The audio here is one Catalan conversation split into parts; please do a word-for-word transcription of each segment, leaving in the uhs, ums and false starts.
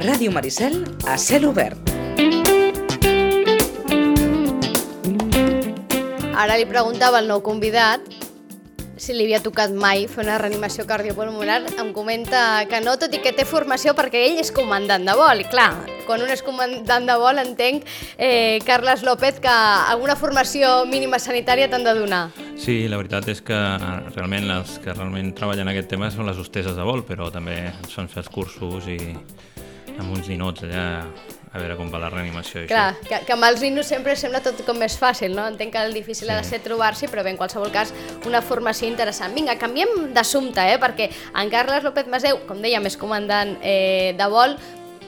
Ràdio Maricel a cel obert. Ara li preguntava al nou convidat si li havia tocat mai fer una reanimació cardiopulmonar. Em comenta que no, tot i que té formació perquè ell és comandant de vol. I clar, quan un és comandant de vol entenc, eh, Carles López, que alguna formació mínima sanitària t'han de donar. Sí, la veritat és que realment els que realment treballen aquest tema són les hosteses de vol, però també ens fan fer els cursos i amb uns ninots allà a veure com va la reanimació. I Clar, això. que, que amb els ninos sempre sembla tot com més fàcil, no? Entenc que el difícil sí. ha de ser trobar-s'hi, però bé, en qualsevol cas, una formació interessant. Vinga, canviem d'assumpte, eh? Perquè en Carles López Masdeu, com dèiem, és comandant eh, de vol,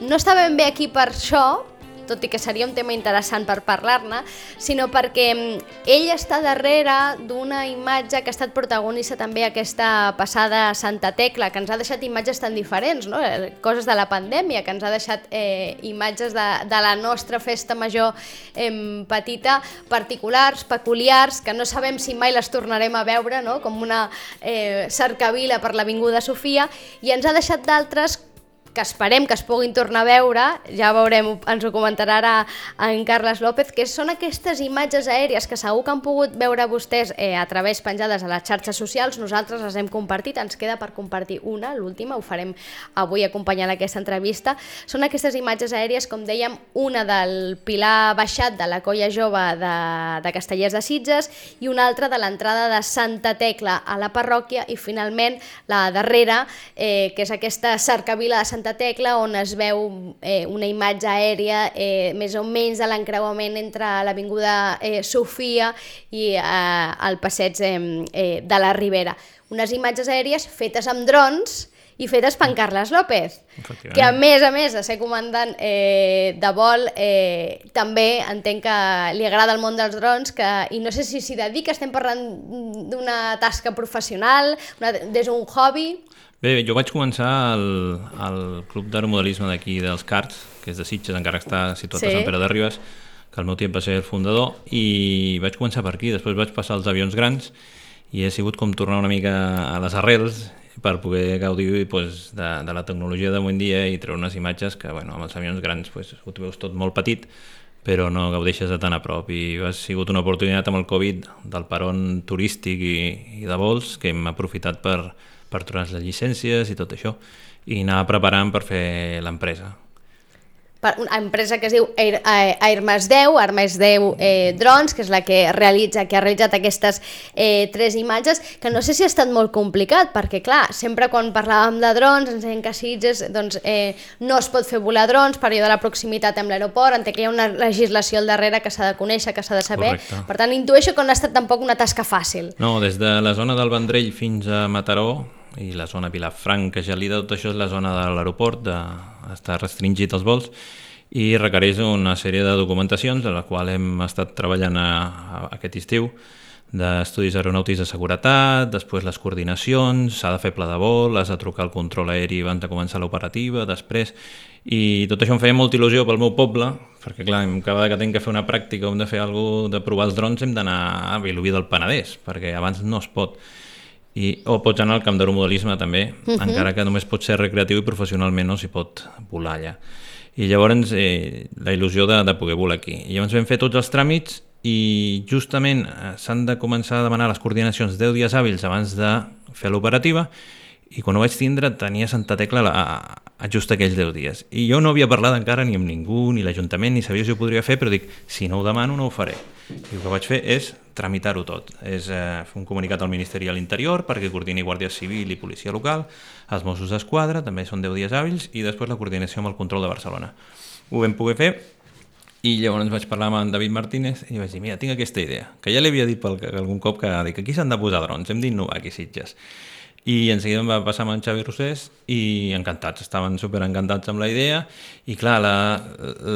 no està ben bé aquí per això, tot i que seria un tema interessant per parlar-ne, sinó perquè ell està darrere d'una imatge que ha estat protagonista també aquesta passada Santa Tecla, que ens ha deixat imatges tan diferents, no? Coses de la pandèmia, que ens ha deixat eh, imatges de, de la nostra festa major eh, petita, particulars, peculiars, que no sabem si mai les tornarem a veure, no? Com una eh, cercavila per l'Avinguda Sofia, i ens ha deixat d'altres que esperem que es puguin tornar a veure, ja veurem, ens ho comentarà ara en Carles López, que són aquestes imatges aèries que segur que han pogut veure vostès eh, a través penjades a les xarxes socials. Nosaltres les hem compartit, ens queda per compartir una, l'última, ho farem avui acompanyant aquesta entrevista. Són aquestes imatges aèries, com dèiem, una del Pilar Baixat de la Colla Jove de, de Castellers de Sitges i una altra de l'entrada de Santa Tecla a la parròquia i finalment la darrera, eh, que és aquesta cercavila de Santa Tecla, on es veu eh, una imatge aèria eh, més o menys de l'encreuament entre l'Avinguda eh, Sofia i eh, el passeig eh, eh, de la Ribera. Unes imatges aèries fetes amb drons i fetes per en Carles López, que a més a més de ser comandant eh, de vol, eh, també entenc que li agrada el món dels drons, que, i no sé si s'hi dedica, estem parlant d'una tasca professional, una, des d'un hobby... Bé, jo vaig començar al, al club d'aeromodelisme d'aquí dels Carts, que és de Sitges, encara està situat sí. a Sant Pere de Ribes, que al meu temps va ser el fundador, i vaig començar per aquí, després vaig passar als avions grans i he sigut com tornar una mica a les arrels per poder gaudir pues, de, de la tecnologia d'avui en dia i treure unes imatges que bueno, amb els avions grans pues, ho veus tot molt petit, però no gaudeixes de tan a prop, i ha sigut una oportunitat amb el Covid del peron turístic i, i de vols que hem aprofitat per per trobar les llicències i tot això, i anar preparant per fer l'empresa. Una empresa que es diu Air, Air Masdeu, Air Masdeu eh, Drons, que és la que realitza, que ha realitzat aquestes eh, tres imatges, que no sé si ha estat molt complicat, perquè clar, sempre quan parlàvem de drons ens deien que a Sitges doncs, eh, no es pot fer volar drons per allò de la proximitat amb l'aeroport, entenc que hi ha una legislació al darrere que s'ha de conèixer, que s'ha de saber. Correcte. Per tant, intueixo que no ha estat tampoc una tasca fàcil. No, des de la zona del Vendrell fins a Mataró, i la zona Vilafranca, Gelida, tot això és la zona de l'aeroport, de, està restringit els vols, i requereix una sèrie de documentacions a la qual hem estat treballant a, a aquest estiu, d'estudis aeronàutics de seguretat, després les coordinacions, s'ha de fer pla de vol, has de trucar al control aeri abans de començar l'operativa, després, i tot això em feia molta il·lusió pel meu poble, perquè clar, cada vegada que tinc que fer una pràctica o hem de fer alguna cosa de provar els drons hem d'anar a Vilobí del Penedès, perquè abans no es pot. I, o pots anar al camp d'aeromodelisme també, uh-huh. encara que només pot ser recreatiu i professionalment no s'hi pot volar allà. I llavors eh, la il·lusió de, de poder volar aquí. I llavors vam fer tots els tràmits i justament eh, s'han de començar a demanar les coordinacions deu dies hàbils abans de fer l'operativa, i quan ho vaig tindre tenia Santa Tecla a, a just aquells deu dies. I jo no havia parlat encara ni amb ningú, ni l'Ajuntament, ni sabia si ho podria fer, però dic, si no ho demano no ho faré. I el que vaig fer és tramitar-ho tot, és eh, fer un comunicat al Ministeri de l'Interior perquè coordini Guàrdia Civil i Policia Local, els Mossos d'Esquadra, també són deu dies hàbils, i després la coordinació amb el control de Barcelona. Ho vam poder fer, i llavors vaig parlar amb en David Martínez i vaig dir, mira, tinc aquesta idea, que ja li havia dit pel, algun cop que dic, aquí s'han de posar drons, hem d'innovar aquí Sitges. I en seguida em va passar amb en Xavi Rosés i encantats, estaven superencantats amb la idea, i clar, la,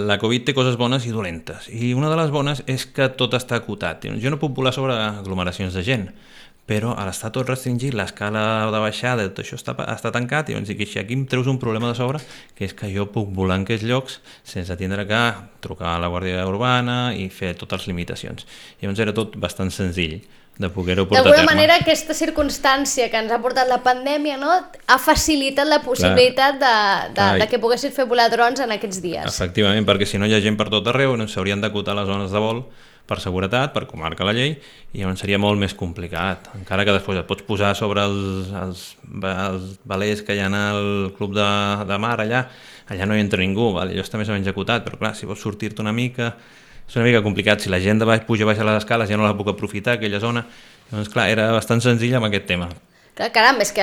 la Covid té coses bones i dolentes, i una de les bones és que tot està acotat. Jo no puc volar sobre aglomeracions de gent, però a l'estar tot restringit, l'escala de baixada, tot això està, està tancat, i llavors dic, aquí em treus un problema de sobre, que és que jo puc volar en aquests llocs sense tindre que trucar a la Guàrdia Urbana i fer totes les limitacions. I llavors era tot bastant senzill. de poder-ho portar a terme. D'alguna manera, aquesta circumstància que ens ha portat la pandèmia, no?, ha facilitat la possibilitat de, de, de que poguessin fer volar drons en aquests dies. Efectivament, perquè si no hi ha gent per tot arreu, no s'haurien d'acotar les zones de vol per seguretat, per com marca la llei, i llavors seria molt més complicat. Encara que després et pots posar sobre els, els, els velers que hi ha al club de, de mar allà, allà no hi entra ningú, val? Allò està més o menys acotat, però clar, si vols sortir-te una mica, és una mica complicat. Si la gent de baix puja baix a les escales ja no la puc aprofitar, aquella zona. Llavors, clar, era bastant senzill amb aquest tema. Clar, caram, és que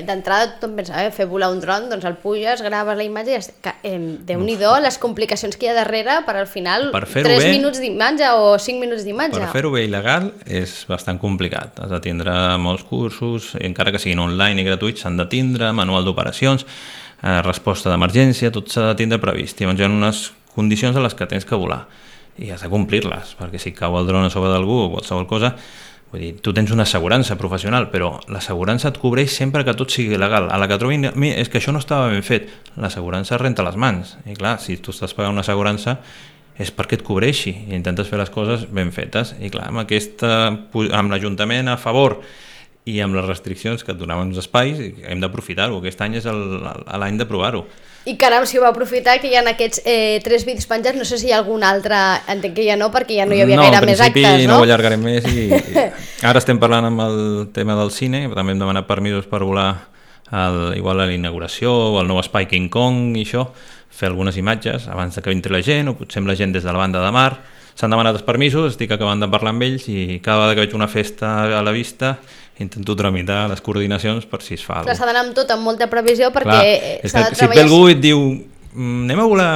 d'entrada tothom pensa, eh, fer volar un dron, doncs el puges, graves la imatge i ja... Eh, Déu-n'hi-do les complicacions que hi ha darrere per al final tres minuts d'imatge o cinc minuts d'imatge. Per fer-ho bé il·legal és bastant complicat. Has de tindre molts cursos, encara que siguin online i gratuïts, s'han de tindre, manual d'operacions, eh, resposta d'emergència, tot s'ha de tindre previst. Llavors hi ha unes condicions a les que tens que volar i has de complir-les, perquè si cau el dron a sobre d'algú o qualsevol cosa, vull dir, tu tens una assegurança professional, però l'assegurança et cobreix sempre que tot sigui legal. A la que trobin a mi és que això no estava ben fet. L'assegurança renta les mans. I clar, si tu estàs pagant una assegurança és perquè et cobreixi i intentes fer les coses ben fetes. I clar, amb, aquesta, amb l'Ajuntament a favor i amb les restriccions que et donaven els espais, hem d'aprofitar-ho. Aquest any és l'any de provar-ho. I caram, si ho va aprofitar, que hi ha aquests eh, tres vídeos penjats, no sé si hi ha algun altre, entenc que ja no, perquè ja no hi havia no, gaire més actes, no? No, en principi no ho allargarem més i, i ara estem parlant amb el tema del cine, també hem demanat permisos per volar el, igual a la inauguració o al nou espai King Kong i això, fer algunes imatges abans que entri la gent o potser amb la gent des de la banda de mar. S'han demanat els permisos, estic acabant de parlar amb ells i cada vegada que veig una festa a la vista intento tramitar les coordinacions per si es fa alguna cosa. S'ha d'anar amb tot, amb molta previsió, perquè s'ha de treballar... Si et ve algú i et diu anem a volar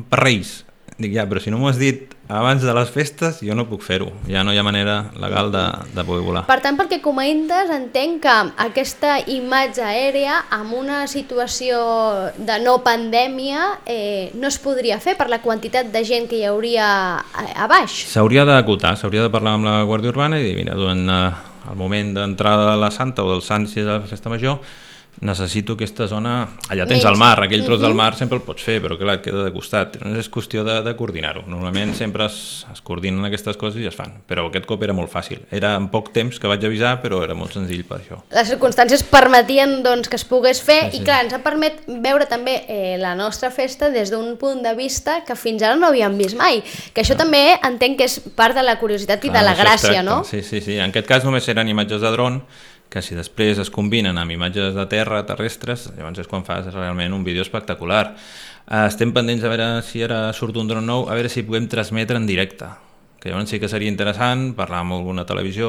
per Reis, dic ja, però si no m'ho has dit abans de les festes, jo no puc fer-ho. Ja no hi ha manera legal de, de poder volar. Per tant, perquè comentes, entenc que aquesta imatge aèria, amb una situació de no pandèmia, eh, no es podria fer per la quantitat de gent que hi hauria a, a baix. S'hauria d'acotar, s'hauria de parlar amb la Guàrdia Urbana i dir, mira, durant el moment d'entrada de la Santa o del Sant, si és la festa major, necessito aquesta zona, allà tens el mar, aquell tros del mar sempre el pots fer, però clar, et queda de costat, és qüestió de, de coordinar-ho. Normalment sempre es, es coordinen aquestes coses i es fan, però aquest cop era molt fàcil. Era en poc temps que vaig avisar, però era molt senzill per això. Les circumstàncies permetien doncs, que es pogués fer sí, sí. I clar, ens ha permet veure també eh, la nostra festa des d'un punt de vista que fins ara no havíem vist mai, que això no. També entenc que és part de la curiositat i clar, de la gràcia, no? Sí, sí, sí. En aquest cas només eren imatges de dron, que si després es combinen amb imatges de terra, terrestres, llavors és quan fas realment un vídeo espectacular. Estem pendents a veure si ara surt un dron nou, a veure si podem transmetre en directe, que llavors sí que seria interessant parlar amb alguna televisió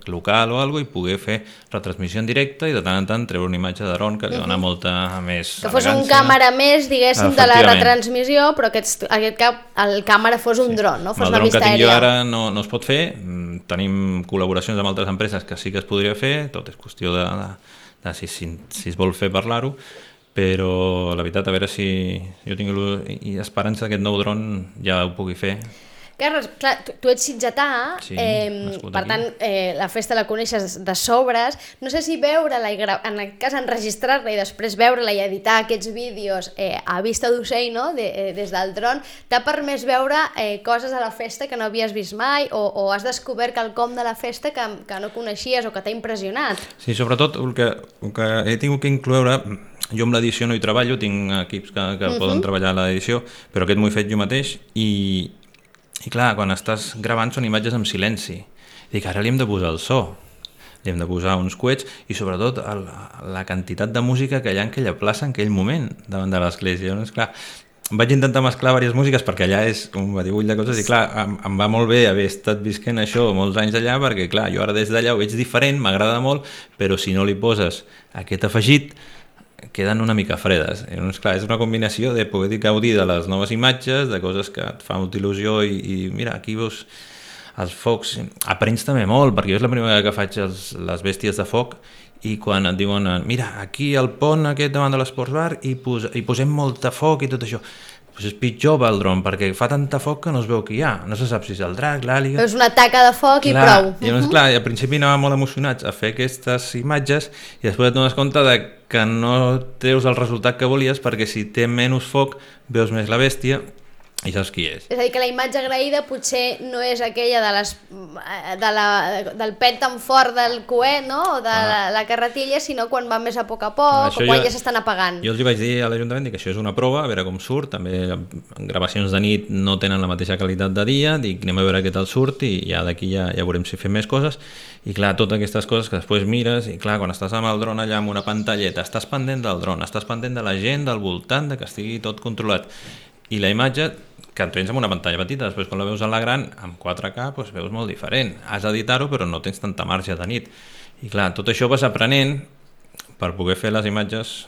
local o alguna cosa i poder fer retransmissió en directe i de tant en tant treure una imatge de dron que li dona molta més que fos un càmera més, diguéssim, de la retransmissió, però aquest, aquest cap, el càmera fos un dron, no? Fos el dron que tinc aèria. Jo ara no, no es pot fer, tenim col·laboracions amb altres empreses que sí que es podria fer, tot és qüestió de, de, de si, si, si es vol fer parlar-ho, però la veritat, a veure si jo tinc esperança que aquest nou dron ja ho pugui fer. Carles, clar, tu, tu ets sitgetà, sí, eh, per tant, eh, la festa la coneixes de sobres. No sé si veure-la, i en aquest cas enregistrar-la i després veure-la i editar aquests vídeos eh, a vista d'ocell, no? de, eh, des del dron, t'ha permès veure eh, coses a la festa que no havies vist mai o, o has descobert quelcom de la festa que, que no coneixies o que t'ha impressionat. Sí, sobretot el que, el que he tingut que incloure... Jo amb l'edició no hi treballo, tinc equips que, que uh-huh. poden treballar a l'edició, però aquest m'ho he fet jo mateix i... I clar, quan estàs gravant són imatges en silenci. Dic, ara li hem de posar el so, li hem de posar uns coets i sobretot el, la quantitat de música que hi ha en aquella plaça en aquell moment davant de l'església. Llavors, clar, vaig intentar mesclar diverses músiques perquè allà és un batibull de coses i clar, em, em va molt bé haver estat visquent això molts anys allà perquè clar, jo ara des d'allà ho veig diferent, m'agrada molt, però si no li poses aquest afegit queden una mica fredes. Llavors, clar, és una combinació de poder gaudir de les noves imatges, de coses que et fan molta il·lusió i, i mira, aquí veus els focs. Aprens també molt, perquè jo és la primera vegada que faig els, les bèsties de foc i quan et diuen, mira, aquí al pont aquest davant de l'Esports Bar i, pos, i posem molta foc i tot això. Pues és pitjor el dron, perquè fa tanta foc que no es veu que hi ha. No se sap si és el drac, l'àliga... És una taca de foc clar, i prou. I llavors, clar, al principi anàvem molt emocionats a fer aquestes imatges i després et dones compte de que no treus el resultat que volies perquè si té menys foc veus més la bèstia i saps qui és. És a dir, que la imatge agraïda potser no és aquella de les, de la, del pet tan fort del coet, no? O de ah. la, la carretilla, sinó quan va més a poc a poc, això o quan jo, ja s'estan apagant. Jo els hi vaig dir a l'Ajuntament que això és una prova, a veure com surt, també gravacions de nit no tenen la mateixa qualitat de dia, dic anem a veure què tal surt i ja d'aquí ja, ja veurem si fem més coses. I clar, totes aquestes coses que després mires, i clar, quan estàs amb el dron allà amb una pantalleta, estàs pendent del dron, estàs pendent de la gent, del voltant, de que estigui tot controlat. I la imatge, que en tens amb una pantalla petita, després quan la veus a la gran, amb quatre K, doncs veus molt diferent. Has d'editar-ho, però no tens tanta marge de nit. I clar, tot això vas aprenent per poder fer les imatges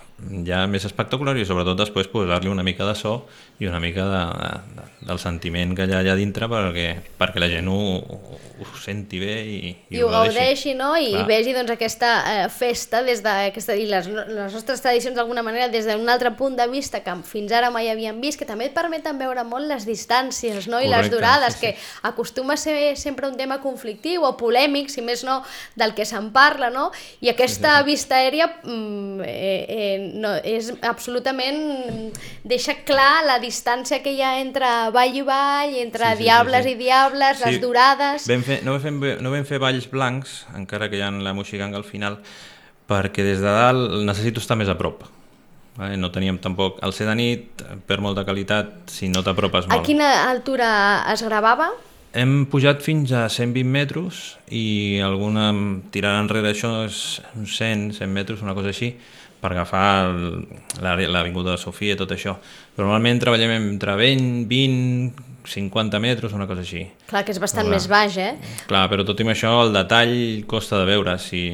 ja més espectaculars i sobretot després posar-li una mica de so i una mica de, de, del sentiment que hi ha allà dintre perquè, perquè la gent ho, ho senti bé i, i, I ho gaudeixi, no? I clar. Vegi doncs, aquesta eh, festa des de, aquesta, i les, les nostres tradicions d'alguna manera des d'un altre punt de vista que fins ara mai havíem vist, que també et permeten veure molt les distàncies, no? I correcte, les durades, sí, sí. que acostuma a ser sempre un tema conflictiu o polèmic, si més no, del que se'n parla, no? I aquesta sí, sí, sí. vista aèria mm, eh, eh, no, és absolutament deixa clar la distància que hi ha entre vall i vall, entre sí, sí, diables sí, sí. i diables, sí. les durades. Vam fer, no, vam fer, no vam fer valls blancs, encara que hi ha la moixiganga al final, perquè des de dalt necessito estar més a prop. No teníem tampoc... Al ser de nit, per molta qualitat, si no t'apropes molt. A quina altura es gravava? Hem pujat fins a cent vint metres i alguna tirant enrere això és uns cent, cent metres, una cosa així, per agafar l'avinguda de Sofia i tot això. Però normalment treballem entre vint, vint, cinquanta metres, una cosa així. Clar, que és bastant més baix, eh? Clar, però tot i això el detall costa de veure. Si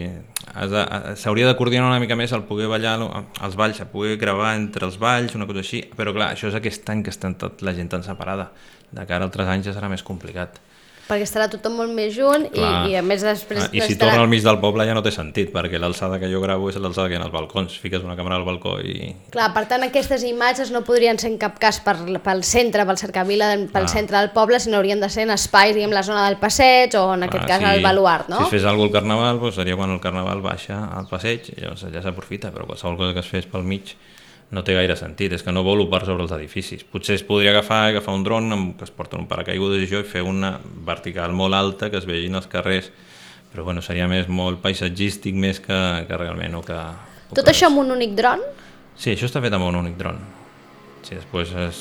s'hauria de coordinar una mica més el poder ballar als valls, el poder gravar entre els valls, una cosa així. Però clar, això és aquest any que està tot la gent tan separada. De cara a altres anys ja serà més complicat. Perquè estarà tothom molt més junt i, i a més després... I si estarà... torna al mig del poble ja no té sentit, perquè l'alçada que jo gravo és l'alçada que hi ha als balcons. Fiques una càmera al balcó i... Clar, per tant, aquestes imatges no podrien ser en cap cas per, pel centre, pel cercavila, pel ah. centre del poble, sinó haurien de ser en espais, diguem, la zona del passeig o en aquest ah, cas sí. el baluart, no? Si es fes alguna cosa al carnaval, doncs seria quan el carnaval baixa al passeig i llavors allà s'aprofita, però qualsevol cosa que es fes pel mig no té gaire sentit, és que no volo per sobre els edificis. Potser es podria agafar agafar un dron amb, que es porta un paracaigudes i això i fer una vertical molt alta que es vegin els carrers, però bueno, seria més molt paisatgístic més que, que realment o que... O Tot que això amb un únic dron? Sí, això està fet amb un únic dron. Sí, després, és,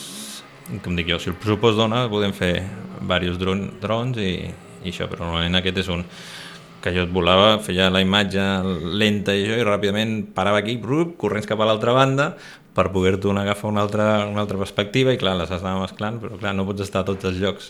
com dic jo, si el pressupost dona, podem fer diversos dron, drons i, i això, però normalment aquest és un que jo et volava, feia la imatge lenta i això, i ràpidament parava aquí, brup, corrents cap a l'altra banda, per poder-te agafar una altra, una altra perspectiva, i clar, les has d'anar mesclant, però clar, no pots estar a tots els llocs.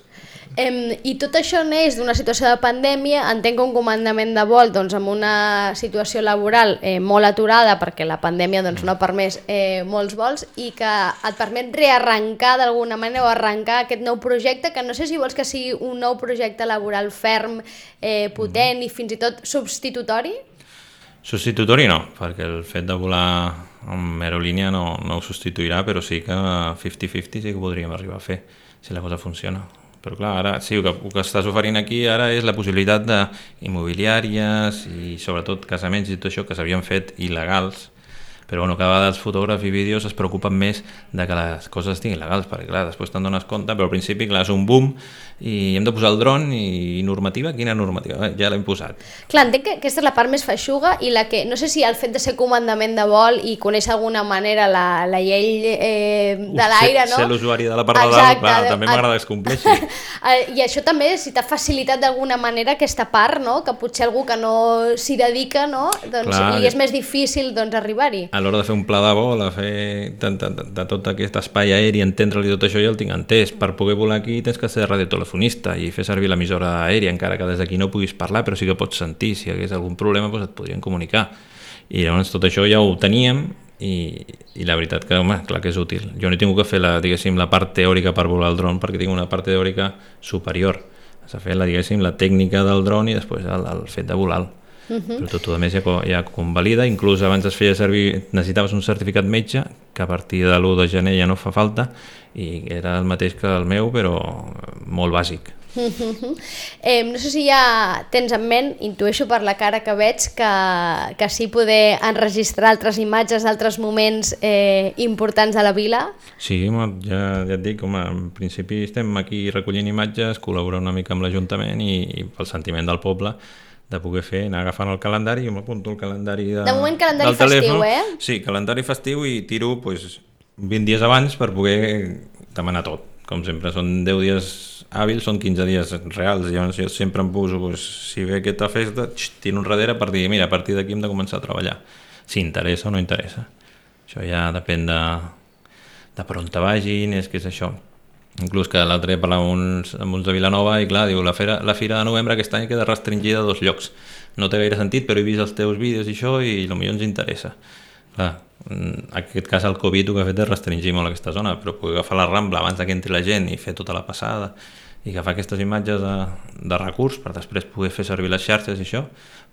Eh, I tot això neix d'una situació de pandèmia, entenc que un comandament de vol doncs, amb una situació laboral eh, molt aturada, perquè la pandèmia doncs, no ha permès eh, molts vols, i que et permet rearrencar d'alguna manera o arrencar aquest nou projecte, que no sé si vols que sigui un nou projecte laboral ferm, eh, potent mm. i fins i tot substitutori? Substitutori no, perquè el fet de volar amb aerolínia no, no ho substituirà, però sí que cinquanta cinquanta sí que podríem arribar a fer, si la cosa funciona. Però clar, ara sí, el que, el que estàs oferint aquí ara és la possibilitat d'immobiliàries i sobretot casaments i tot això que s'havien fet il·legals, però bueno, cada vegada els fotògrafs i vídeos es preocupen més de que les coses estiguin legals, perquè clar, després te'n dones compte, però al principi clar, és un boom i hem de posar el dron i normativa, quina normativa? Ja l'hem posat. Clar, entenc que aquesta és la part més feixuga i la que, no sé si el fet de ser comandament de vol i conèixer d'alguna manera la, la llei eh, de l'aire, no? Ser l'usuari de la part de dalt, clar, també m'agrada que es compleixi. I això també, si t'ha facilitat d'alguna manera aquesta part, no? Que potser algú que no s'hi dedica, no? Doncs clar, li és més difícil doncs, arribar-hi. A l'hora de fer un pla de vol, de fer de, de, de, de tot aquest espai aeri, entendre-li tot això, jo el tinc entès. Per poder volar aquí tens que ser radiotelefonista i fer servir l'emissora aèria, encara que des d'aquí no puguis parlar, però sí que pots sentir. Si hi hagués algun problema, doncs et podrien comunicar. I llavors tot això ja ho teníem i, i la veritat que, home, clar que és útil. Jo no he tingut que fer la, diguéssim, la part teòrica per volar el dron, perquè tinc una part teòrica superior. S'ha fet la, diguéssim, la tècnica del dron i després el, el fet de volar-lo. Uh -huh. Però tot a més ja, ja convalida, inclús abans es feia servir, necessitaves un certificat metge que a partir de l'u de gener ja no fa falta i era el mateix que el meu però molt bàsic, eh, no sé si ja tens en ment, intueixo per la cara que veig, que, que sí poder enregistrar altres imatges d'altres moments eh, importants de la vila. Sí, home, ja, ja et dic, home, en principi estem aquí recollint imatges, col·laborar una mica amb l'Ajuntament i, i pel sentiment del poble de poder fer, anar agafant el calendari, jo m'apunto el calendari de, de moment calendari del telèfon. Festiu, eh? Sí, calendari festiu i tiro pues, vint dies abans per poder demanar tot. Com sempre, són deu dies hàbils, són quinze dies reals. Llavors jo sempre em poso, pues, si ve aquesta festa, xt, tiro enrere per dir, mira, a partir d'aquí hem de començar a treballar. Si interessa o no interessa. Això ja depèn de, de per on te vagin, és que és això. Inclús que l'altre dia parlava amb uns, amb uns de Vilanova i clar, diu, la fira, la fira de novembre aquest any queda restringida a dos llocs. No té gaire sentit, però he vist els teus vídeos i això i potser ens interessa. Clar, en aquest cas el Covid el que ha fet és restringir molt aquesta zona, però poder agafar la Rambla abans que entri la gent i fer tota la passada i agafar aquestes imatges de, de recurs per després poder fer servir les xarxes i això,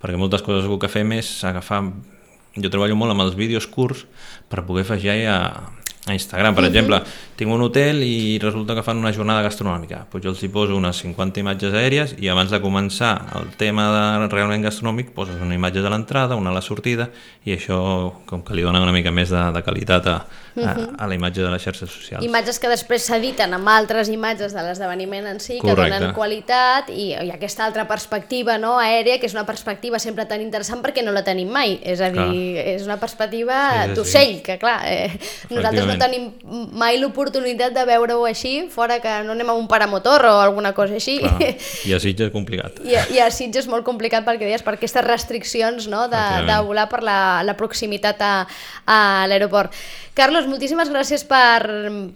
perquè moltes coses el que fem és agafar... Jo treballo molt amb els vídeos curts per poder afegir a, a Instagram. Per exemple, tinc un hotel i resulta que fan una jornada gastronòmica. Doncs jo els hi poso unes cinquanta imatges aèries i abans de començar el tema de realment gastronòmic poses una imatge de l'entrada, una a la sortida i això com que li dona una mica més de, de qualitat a, a, a la imatge de les xarxes socials. Imatges que després s'editen amb altres imatges de l'esdeveniment en si, que Correcte. Donen qualitat i, i aquesta altra perspectiva, no, aèria, que és una perspectiva sempre tan interessant perquè no la tenim mai. És a dir, clar. És una perspectiva sí, sí, d'ocell, sí. que clar, eh, nosaltres no tenim mai l'oportunitat de veure-ho així, fora que no anem a un paramotor o alguna cosa així. Clar. I a Sitges és complicat. I a, i a Sitges és molt complicat perquè deies, per aquestes restriccions, no, de, de volar per la, la proximitat a, a l'aeroport. Carlos, moltíssimes gràcies per,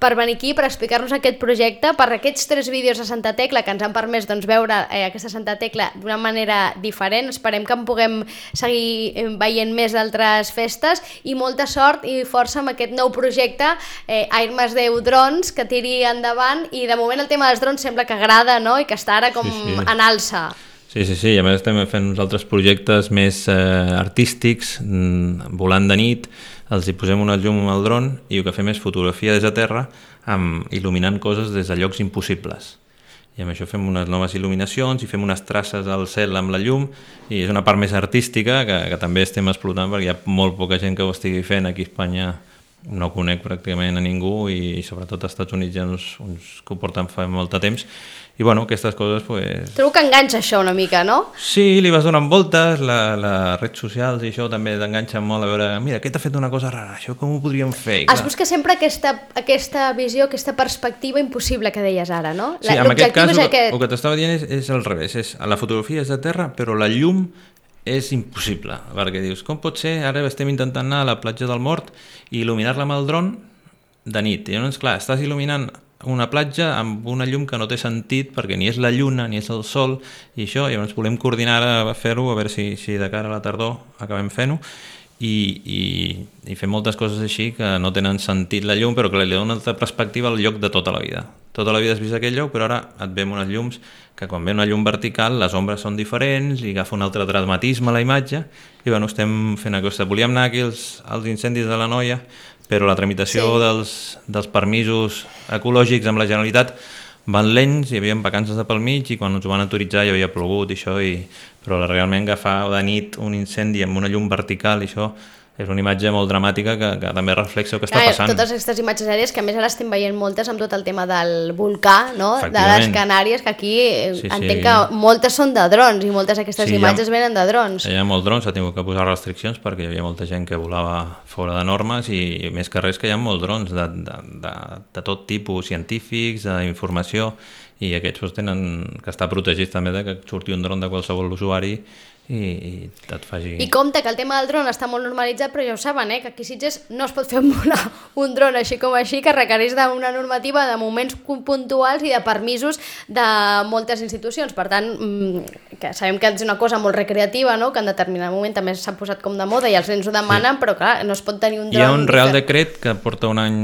per venir aquí, per explicar-nos aquest projecte, per aquests tres vídeos a Santa Tecla que ens han permès doncs, veure eh, aquesta Santa Tecla d'una manera diferent. Esperem que en puguem seguir veient més d'altres festes i molta sort i força amb aquest nou projecte eh, Air més deu Drons, que tiri endavant i de moment el tema dels drons sembla que agrada, no? I que està ara com sí, sí. en alça. Sí, sí, sí, i a més estem fent uns altres projectes més eh, artístics, volant de nit, els hi posem una llum al dron i el que fem és fotografia des de terra amb, il·luminant coses des de llocs impossibles. I amb això fem unes noves il·luminacions i fem unes traces al cel amb la llum i és una part més artística que, que també estem explotant perquè hi ha molt poca gent que ho estigui fent aquí a Espanya. No conec pràcticament a ningú i, i sobretot als Estats Units hi ha uns, uns que ho porten fa molt de temps i bueno, aquestes coses pues... Trobo que enganxa això una mica, no? Sí, li vas donant voltes, la, les redes socials i això també t'enganxen molt a veure, mira, aquest ha fet una cosa rara, això com ho podríem fer? I, es busca sempre aquesta, aquesta visió, aquesta perspectiva impossible que deies ara, no? Sí, en aquest cas el, aquest... el que t'estava dient és, és al revés, és, la fotografia és de terra però la llum és impossible, perquè dius, com pot ser? Ara estem intentant anar a la platja del Mort i il·luminar-la amb el dron de nit. I llavors, clar, estàs il·luminant una platja amb una llum que no té sentit perquè ni és la lluna ni és el sol i això, i llavors volem coordinar a fer-ho, a veure si, si de cara a la tardor acabem fent-ho i, i, i fer moltes coses així que no tenen sentit la llum però que li dona una altra perspectiva al lloc de tota la vida. Tota la vida has vist aquell lloc però ara et veiem unes llums que quan ve una llum vertical les ombres són diferents i agafa un altre dramatisme a la imatge i bueno, estem fent aquesta. Volíem anar aquí als, als incendis de la Noia però la tramitació sí. dels, dels permisos ecològics amb la Generalitat van lents, hi havia vacances de pel mig i quan ens ho van autoritzar ja havia plogut i això, i... però realment agafar de nit un incendi amb una llum vertical i això és una imatge molt dramàtica que, que també reflexa el que està passant. Totes aquestes imatges aèries, que a més ara estem veient moltes amb tot el tema del volcà, no? De les Canàries, que aquí sí, entenc sí. que moltes són de drons i moltes d'aquestes sí, imatges ha, venen de drons. Hi ha molts drons, s'ha tingut que posar restriccions perquè hi havia molta gent que volava fora de normes i més que res que hi ha molts drons de, de, de, de tot tipus, científics, d'informació, i aquests tenen que estar protegits també de que surti un dron de qualsevol usuari i, i et faci... I compte que el tema del dron està molt normalitzat, però ja ho saben, eh, que aquí a Sitges no es pot fer volar un dron així com així, que requereix d'una normativa de moments puntuals i de permisos de moltes institucions. Per tant, que sabem que és una cosa molt recreativa, no? Que en determinat moment també s'ha posat com de moda i els nens ho demanen, sí. però clar, no es pot tenir un dron... Hi ha un Real Decret que porta un any...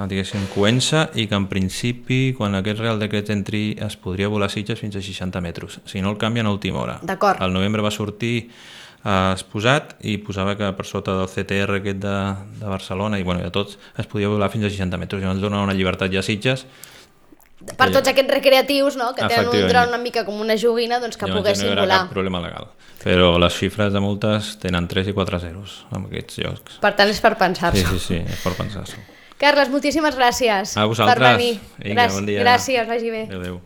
diguéssim, coença, i que en principi quan aquest Real Decret entri es podria volar a Sitges fins a seixanta metres, si no el canvien a última hora. D'acord. Al novembre va sortir eh, exposat i posava que per sota del C T R aquest de, de Barcelona i bueno, de tots es podia volar fins a seixanta metres, i ens dona una llibertat ja a Sitges per tots aquests recreatius, no? Que tenen un Efectivament. dron una mica com una joguina, doncs que Llavors poguessin no hi haurà volar. cap problema legal. Però les xifres de multes tenen tres i quatre zeros en aquests llocs. Per tant, és per Sí, pensar-s'ho. sí, sí, és per pensar-s'ho. Carles, moltíssimes gràcies A vosaltres. per venir. Vinga, Gràcies, bon dia. gràcies, vagi bé. Adéu, adéu.